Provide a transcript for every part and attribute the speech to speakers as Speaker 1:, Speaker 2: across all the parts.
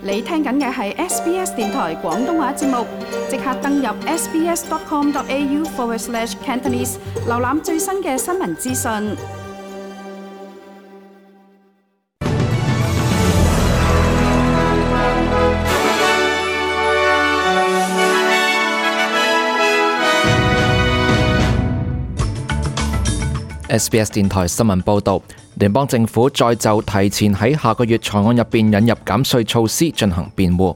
Speaker 1: 你聽緊嘅係 SBS 電台廣東話節目，即刻登入 sbs.com.au/Cantonese 瀏覽最新嘅新聞資訊。
Speaker 2: SBS 電台新聞報導，聯邦政府再就提前喺下個月財案入邊引入減稅措施進行辯護。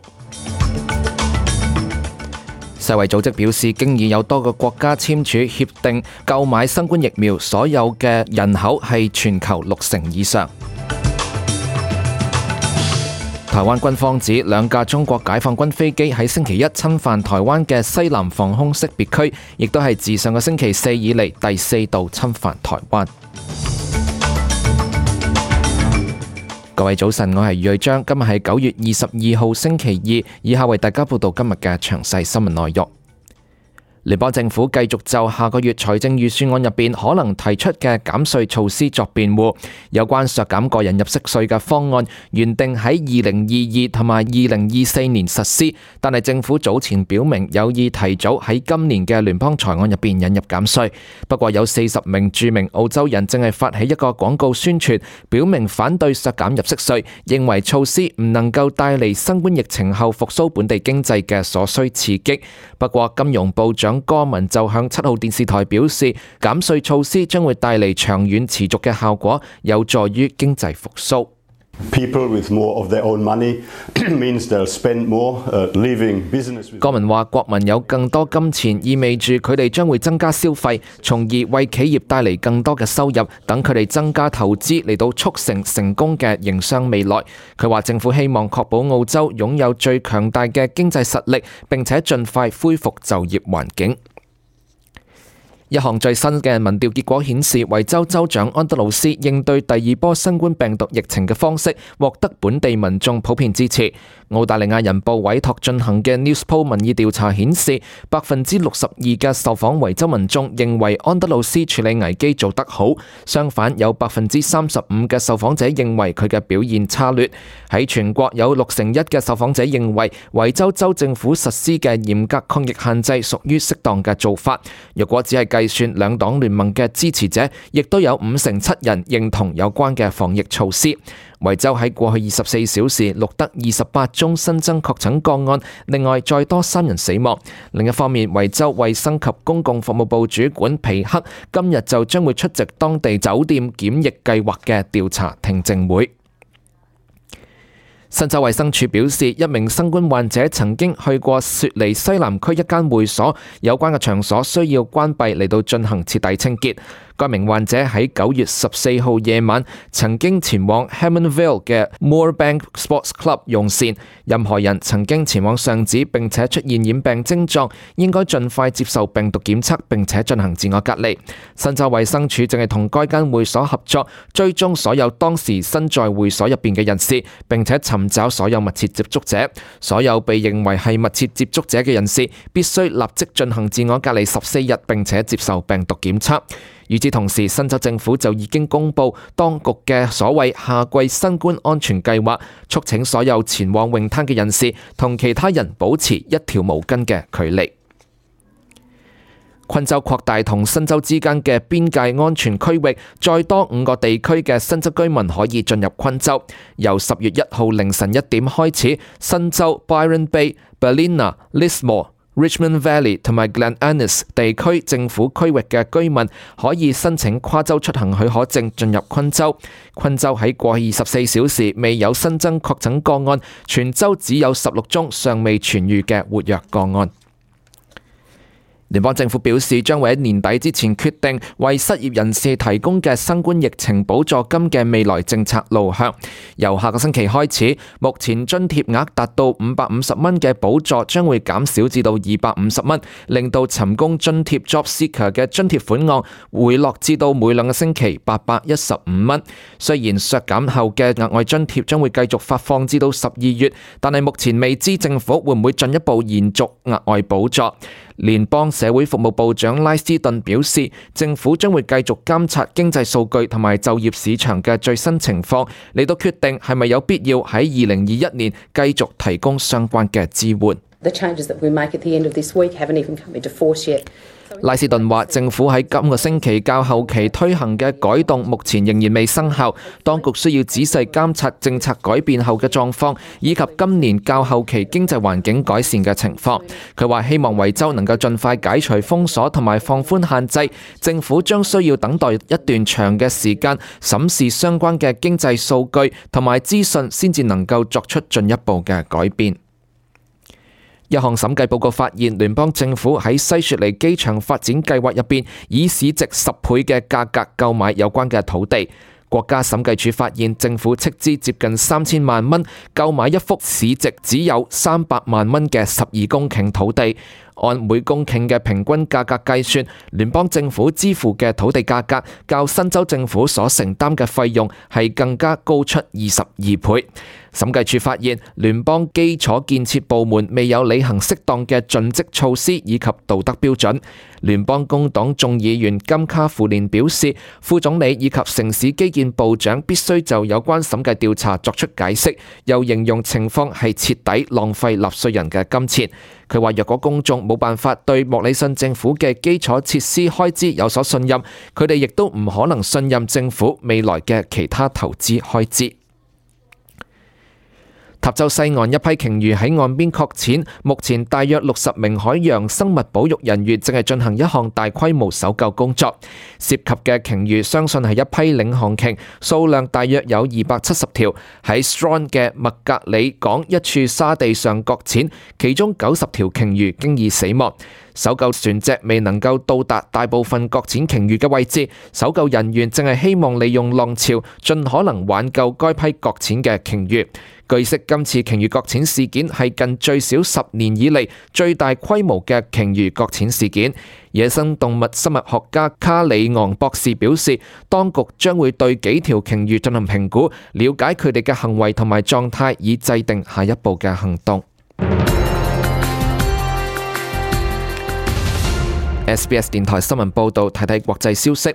Speaker 2: 世衛組織表示，經已有多個國家簽署協定購買新冠疫苗，所有嘅人口係全球60%以上。台灣軍方指兩架中國解放軍飛機喺星期一侵犯台灣嘅西南防空識別區，亦都係自上個星期四以嚟第4度侵犯台灣。各位早晨，我係余瑞章，今日係9月22號星期二，以下為大家報道今日嘅詳細新聞內容。聯邦政府繼續就下個月財政預算案入邊可能提出嘅減稅措施作辯護。有關削減個人入息稅嘅方案原定喺2022同埋2024年實施，但係政府早前表明有意提早喺今年嘅聯邦財案入邊引入減稅。不過有40名著名澳洲人正係發起一個廣告宣傳，表明反對削減入息稅，認為措施唔能夠帶嚟新冠疫情後復甦本地經濟嘅所需刺激。不過金融部長柯文就向7號電視台表示，減稅措施將會帶嚟長遠持續嘅效果，有助於經濟復甦。柯文話，國民有更多金錢，意味住佢哋將會增加消費，從而為企業帶嚟更多嘅收入，等佢哋增加投資嚟到促成成功嘅營商未來。佢話政府希望確保澳洲擁有最強大嘅經濟實力，並且盡快恢復就業環境。一項最新嘅民調結果顯示，維州州長安德魯斯應對第2波新冠病毒疫情嘅方式獲得本地民眾普遍支持。澳大利亞人報委託進行嘅 Newspoll 民意調查顯示，62%嘅受訪維州民眾認為安德魯斯處理危機做得好，相反有35%嘅受訪者認為佢嘅表現差劣。喺全國有61%嘅受訪者認為維州州政府實施嘅嚴格抗疫限制屬於適當嘅做法。若果只係計算兩黨聯盟嘅支持者，亦都有57%人認同有關嘅防疫措施。維州喺過去24小時錄得28宗新增確診個案，另外再多3人死亡。另一方面，維州衛生及公共服務部主管皮克今日就將會出席當地酒店檢疫計劃嘅調查聽證會。新州衛生署表示，一名新冠患者曾經去過雪梨西南區一間會所，有關嘅場所需要關閉嚟到進行徹底清潔。該名患者喺9月14號夜晚曾經前往 Hammondvale 嘅 Moorebank Sports Club 用膳。任何人曾經前往上址並且出現染病徵狀，應該盡快接受病毒檢測並且進行自我隔離。新州衛生署正係同該間會所合作，追蹤所有當時身在會所入邊嘅人士，並且尋找所有密切接觸者。所有被認為係密切接觸者嘅人士必須立即進行自我隔離14日，並且接受病毒檢測。與此同時，新州政府就已經公布當局嘅所謂夏季新冠安全計劃，促請所有前往泳灘嘅人士同其他人保持一條毛巾嘅距離。昆州擴大同新州之間嘅邊界安全區域，再多5個地區嘅新州居民可以進入昆州。由10月1號凌晨1點開始，新州 Byron Bay、Ballina、Lismore、Richmond Valley 同埋 Glen Innes 地區政府區域嘅居民可以申請跨州出行許可證進入昆州。昆州喺過去24小時未有新增確診個案，全州只有16宗尚未痊癒嘅活躍個案。聯邦政府表示，將會喺年底之前決定為失業人士提供嘅新冠疫情補助金嘅未來政策路向。由下個星期開始，目前津貼額達到550蚊嘅補助將會減少至到250蚊，令到尋工津貼 Job Seeker 嘅津貼款項回落至到每2個星期815蚊。雖然削減後嘅額外津貼將會繼續發放至到12月，但係目前未知政府會唔會進一步延續額外補助。聯邦社會服務部長拉斯頓表示，政府將會繼續監察經濟數據同埋就業市場嘅最新情況，嚟到決定係咪有必要喺2021年繼續提供相關嘅支援。拉斯頓話，政府喺今個星期較後期推行嘅改動目前仍然未生效，當局需要仔細監察政策改變後嘅狀況，以及今年較後期經濟環境改善嘅情況。佢話希望維州能夠盡快解除封鎖同埋放寬限制，政府將需要等待一段長嘅時間審視相關嘅經濟數據同埋資訊，先至能夠作出進一步嘅改變。一項審計報告發現，聯邦政府喺西雪梨機場發展計劃入邊，以市值10倍嘅價格購買有關嘅土地。國家審計署發現，政府斥資接近3000萬蚊購買一幅市值只有300萬蚊嘅12公頃土地。按每公頃嘅平均價格計算，聯邦政府支付嘅土地價格較新州政府所承擔嘅費用係更加高出22倍。審計署發現，聯邦基礎建設部門未有履行適當嘅盡職措施以及道德標準。聯邦工黨眾議員金卡芙蓮表示，副總理以及城市基建部長必須就有關審計調查作出解釋，又形容情況係徹底浪費納稅人嘅金錢。佢話若果公眾冇辦法對莫里遜政府嘅基礎設施開支有所信任，佢哋亦都唔可能信任政府未來嘅其他投資開支。塔州西岸一批鯨魚喺岸邊擱淺，目前大約60名海洋生物保育人員正係進行一項大規模搜救工作。涉及嘅鯨魚相信係一批領航鯨，數量大約有270條，喺 Strong 嘅麥格里港一處沙地上擱淺，其中90條鯨魚經已死亡。搜救船隻未能夠到達大部分擱淺鯨魚嘅位置，搜救人員正係希望利用浪潮盡可能挽救該批擱淺嘅鯨魚。據悉，今次鯨魚擱淺事件係近最少10年以嚟最大規模嘅鯨魚擱淺事件。野生動物生物學家卡里昂博士表示，當局將會對幾條鯨魚進行評估，了解佢哋嘅行為同埋狀態，以制定下一步嘅行動。SBS 電台新聞報導，睇睇國際消息。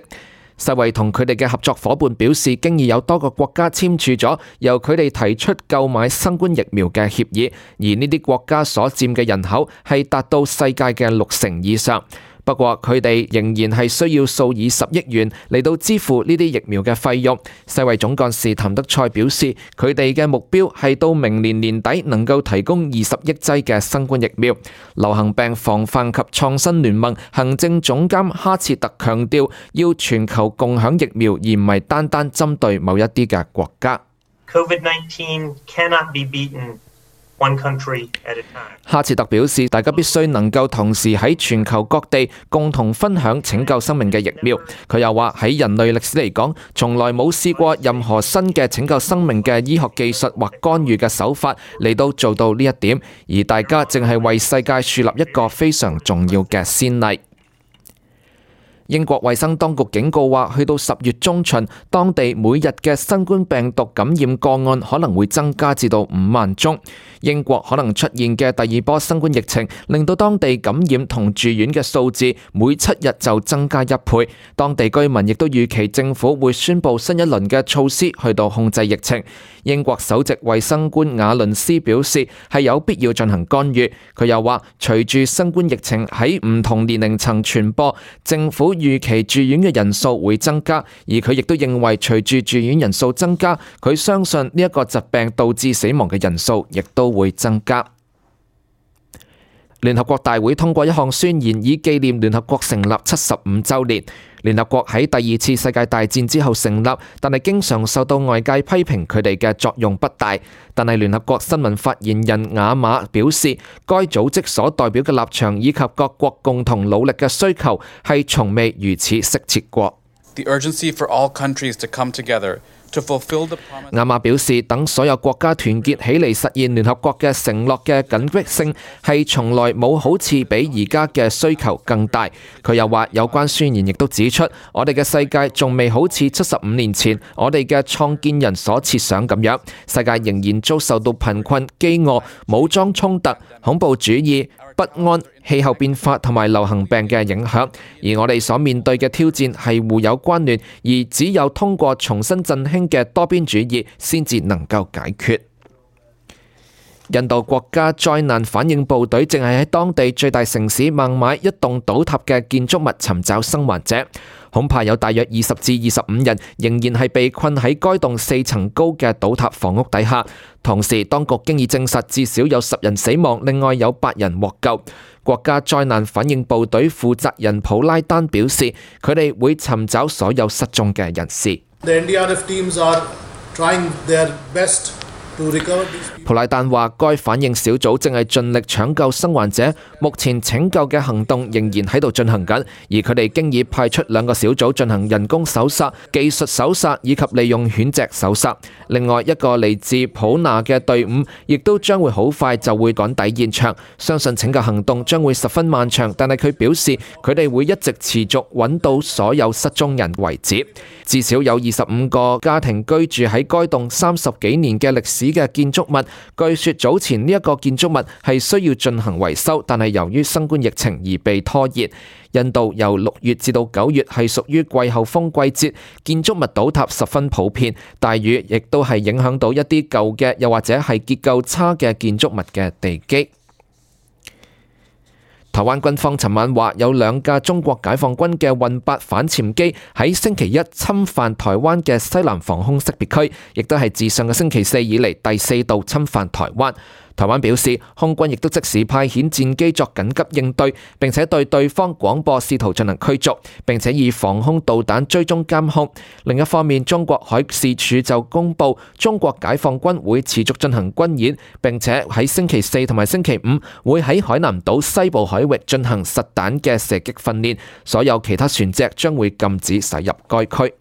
Speaker 2: 世衛同佢哋嘅合作夥伴表示，經已有多個國家簽署咗由佢哋提出購買新冠疫苗嘅協議，而呢啲國家所佔嘅人口係達到世界嘅60%以上。不過佢哋仍然係需要數以10億元嚟到支付呢啲疫苗嘅費用。世衛總幹事譚德塞表示，佢哋嘅目標係到明年年底能夠提供20億劑嘅新冠疫苗。流行病防範及創新聯盟行政總監哈切特強調，要全球共享疫苗，而唔係單單針對某一啲嘅國家。
Speaker 3: COVID-19 cannot be beaten one country at a time.
Speaker 2: 哈切特表示，大家必須能夠同時喺全球各地共同分享拯救生命嘅疫苗。佢又話，喺人類歷史嚟講，從來冇試過任何新嘅拯救生命嘅醫學技術或干預嘅手法嚟到做到呢一點，而大家正係為世界樹立一個非常重要嘅先例。英國衛生當局警告話，去到10月中旬，當地每日嘅新冠病毒感染個案可能會增加至到5萬宗。英國可能出現嘅第二波新冠疫情，令到當地感染同住院嘅數字每7日就增加1倍。當地居民亦都預期政府會宣布新一輪嘅措施去到控制疫情。英國首席衛生官瓦倫斯表示，係有必要進行干預。佢又話，隨住新冠疫情喺唔同年齡層傳播，政府預期住院嘅人數會增加，而佢亦都認為隨住住院人數增加，佢相信呢一個疾病導致死亡嘅人數亦都會增加。聯合國大會通過一項宣言，以紀念聯合國成立75週年。聯合國喺第二次世界大戰之後成立，但係經常受到外界批評佢哋嘅作用不大。但係聯合國新聞發言人雅馬表示，該組織所代表嘅立場以及各國共同努力嘅需求係從未如此適切過。
Speaker 4: The urgency for all countries to come together to fulfill the promise.
Speaker 2: 亞馬表示，等所有國家團結起嚟實現聯合國嘅承諾嘅緊迫性係從來冇好似比而家嘅需求更大。佢又話，有關宣言亦都指出，我哋嘅世界仲未好似75年前我哋嘅創建人所設想咁樣，世界仍然遭受到貧困、飢餓、武裝衝突、恐怖主義、不安、氣候變化同埋流行病嘅影響，而我哋所面對嘅挑戰係互有關聯，而只有通過重新振興嘅多邊主義先至能夠解決。印度國家災難反應部隊正係喺當地最大城市孟買一棟倒塌嘅建築物尋找生還者，恐怕有大約20至25人仍然係被困喺該棟4層高嘅倒塌房屋底下。同時，當局經已證實至少有10人死亡，另外有8人獲救。國家災難反應部隊負責人普拉丹表示，佢哋會尋找所有失蹤嘅人士。
Speaker 5: The NDRF teams are trying their best.
Speaker 2: 普拉丹話，該反應小組正係盡力搶救生還者，目前拯救嘅行動仍然喺度進行緊，而佢哋經已派出2個小組進行人工搜索、技術搜索以及利用犬隻搜索。另外一個嚟自普納嘅隊伍亦都將會好快就會趕抵現場，相信拯救行動將會十分漫長，但係佢表示佢哋會一直持續揾到所有失蹤人為止。至少有25個家庭居住喺該棟30幾年嘅歷史嘅建築物，據說早前呢一個建築物係需要進行維修，但係由於新冠疫情而被拖延。印度由6月至到9月係屬於季候風季節，建築物倒塌十分普遍，大雨亦都係影響到一啲舊嘅又或者係結構差嘅建築物嘅地基。台灣軍方尋晚話，有2架中國解放軍嘅運8反潛機喺星期一侵犯台灣嘅西南防空識別區，亦都係自上個星期4以嚟第4度侵犯台灣。台灣表示，空軍亦都即時派遣戰機作緊急應對，並且對對方廣播試圖進行驅逐，並且以防空導彈追蹤監控。另一方面，中國海事處就公布，中國解放軍會持續進行軍演，並且喺星期4同埋星期5會喺海南島西部海域進行實彈嘅射擊訓練，所有其他船隻將會禁止駛入該區。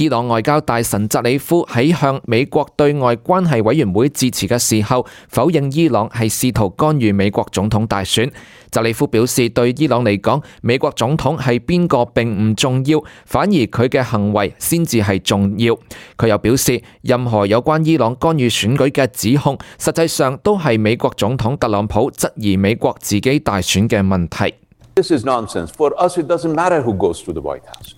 Speaker 2: 伊朗外交大臣扎里夫喺向美國對外關係委員會致辭嘅時候，否認伊朗係試圖干預美國總統大選。扎里夫表示，對伊朗嚟講，美國總統係邊個並唔重要，反而佢嘅行為先至係重要。佢又表示，任何有關伊朗干預選舉嘅指控，實際上都係美國總統特朗普質疑美國自己大選嘅問題。
Speaker 6: This is nonsense. For us, it doesn't matter who goes to the White House.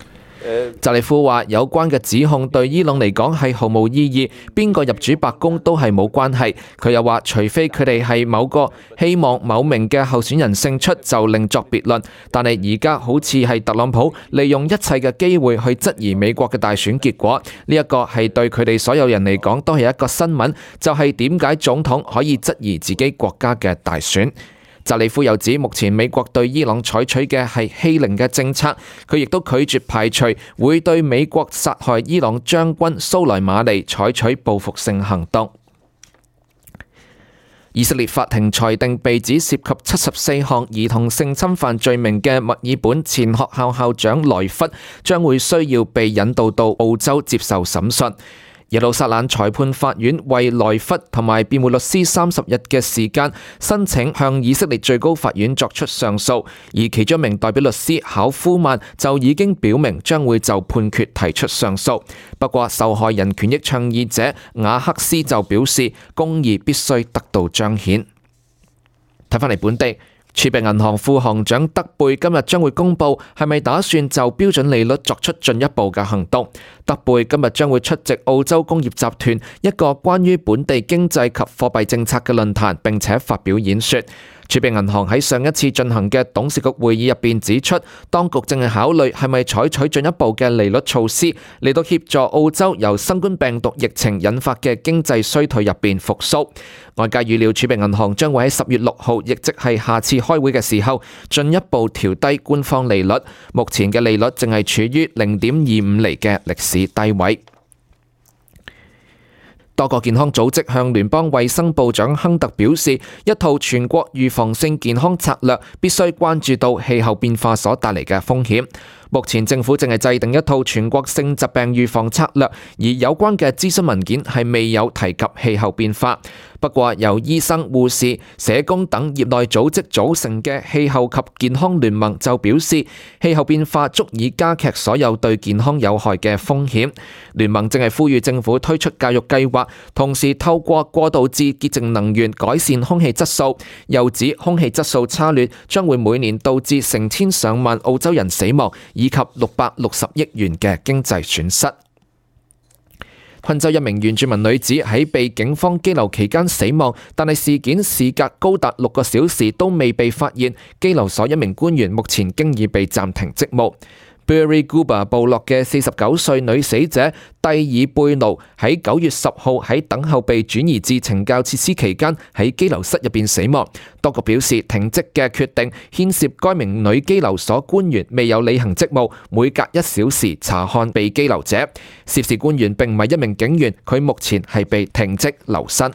Speaker 2: 扎里夫話，有關嘅指控對伊朗嚟講係毫無意義，邊個入主白宮都係冇關係。佢又話，除非佢哋係某個希望某名嘅候選人勝出，就另作別論。但係而家好似係特朗普利用一切嘅機會去質疑美國嘅大選結果，呢一個係對佢哋所有人嚟講都係一個新聞，就係點解總統可以質疑自己國家嘅大選。扎里夫又指，目前美國對伊朗採取嘅係欺凌嘅政策，佢亦都拒絕排除會對美國殺害伊朗將軍蘇萊馬尼採取報復性行動。以色列法庭裁定，被指涉及74項兒童性侵犯罪名嘅墨爾本前學校校長萊弗將會需要被引渡到澳洲接受審訊。耶路撒冷裁判法院為萊弗同埋辯護律師30日嘅時間申請向以色列最高法院作出上訴，而其中一名代表律師考夫曼就已經表明將會就判決提出上訴。不過，受害人權益倡議者雅克斯就表示，公義必須得到彰顯。睇返嚟本地。儲備銀行副行長德貝今日將會公布係咪打算就標準利率作出進一步嘅行動。德貝今日將會出席澳洲工業集團一個關於本地經濟及貨幣政策嘅論壇，並且發表演說。儲備銀行喺上一次進行嘅董事局會議入邊指出，當局正係考慮係咪採取進一步嘅利率措施嚟到協助澳洲由新冠病毒疫情引發嘅經濟衰退入邊復甦。外界預料儲備銀行將會喺10月6號，亦即係下次開會嘅時候，進一步調低官方利率。目前嘅利率正係處於0.25厘嘅歷史低位。多個健康組織向聯邦衛生部長亨特表示，一套全國預防性健康策略必須關注到氣候變化所帶嚟嘅風險。目前政府正係制定一套全國性疾病預防策略，而有關嘅諮詢文件係未有提及氣候變化。不過，由醫生、護士、社工等業內組織組成嘅氣候及健康聯盟就表示，氣候變化足以加劇所有對健康有害嘅風險。聯盟正係呼籲政府推出教育計劃，同時透過過渡至潔淨能源改善空氣質素。又指空氣質素差劣將會每年導致成千上萬澳洲人死亡，以及660億元嘅經濟損失。昆州一名原住民女子喺被警方羈留期間死亡，但係事件事隔高達6個小時都未被發現，羈留所一名官員目前經已被暫停職務。Burri Guba 部落嘅49歲女死者蒂爾貝奴喺9月10號喺等候被轉移至懲教設施期間喺羈留室入邊死亡。當局表示停職嘅決定牽涉該名女羈留所官員未有履行職務，每隔1小時查看被羈留者。涉事官員並唔係一名警員，佢目前係被停職留薪。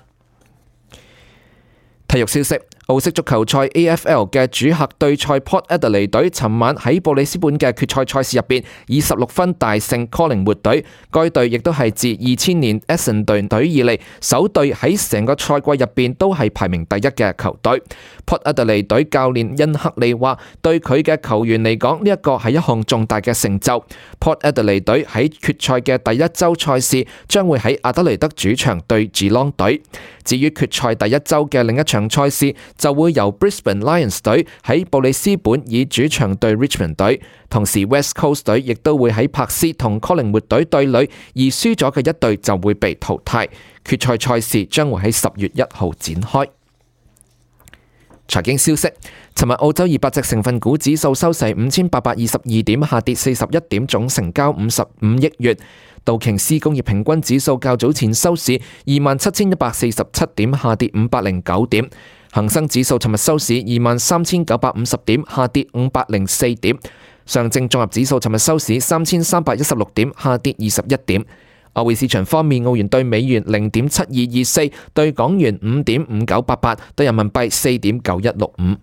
Speaker 2: 體育消息，澳式足球賽 AFL 嘅主客對賽 Port Adelaide 隊尋晚喺布里斯本嘅決賽賽事入邊以16分大勝 Collingwood 隊，該隊亦都係自2000年 Essendon 隊以嚟首隊喺成個賽季入邊都係排名第一嘅球隊。Port Adelaide 隊教練恩克利話：對佢嘅球員嚟講，呢一個係一項重大嘅成就。Port Adelaide 隊喺決賽嘅第一週賽事將會喺阿德雷德主場對 Geelong 隊。至於決賽第一週嘅另一場賽事，就會由 Brisbane Lions 隊喺布里斯本以主場對 Richmond 隊，同時 West Coast 隊亦都會喺柏斯同 Collingwood 隊對壘，而輸咗嘅一隊就會被淘汰。決賽賽事將會喺10月1號展開。財經消息，尋日澳洲200隻成分股指數收市5822點，下跌41點，總成交55億元。道瓊斯工業平均指數較早前收市27147點，下跌509點。恒生指數尋日收市23950點，下跌504點。上證綜合指數尋日收市3316點，下跌21點。外匯市場方面，澳元對美元0.7224，對港元5.5988，對人民幣4.9165。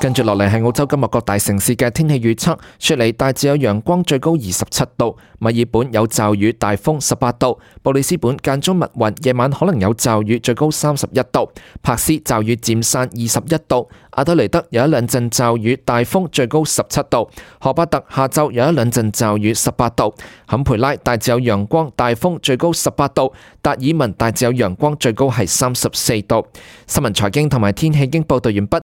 Speaker 2: 跟住落嚟係澳洲今日各大城市嘅天氣預測。雪梨大致有陽光，最高27度；墨爾本有驟雨，大風18度；布里斯本間中密雲，夜晚可能有驟雨，最高31度；柏斯驟雨漸散21度；阿德雷德有一兩陣驟雨，大風，最高17度；荷巴特下晝有一兩陣驟雨18度；坎培拉大致有陽光，大風，最高18度；達爾文大致有陽光，最高係34度。新聞財經同埋天氣已經報道完畢。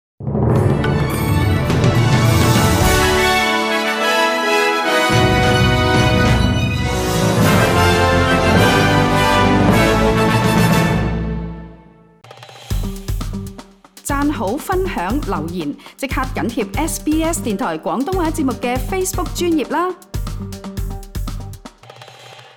Speaker 1: 讚好、分享、留言，即刻緊貼SBS 電台廣東話節目嘅 Facebook 專頁啦！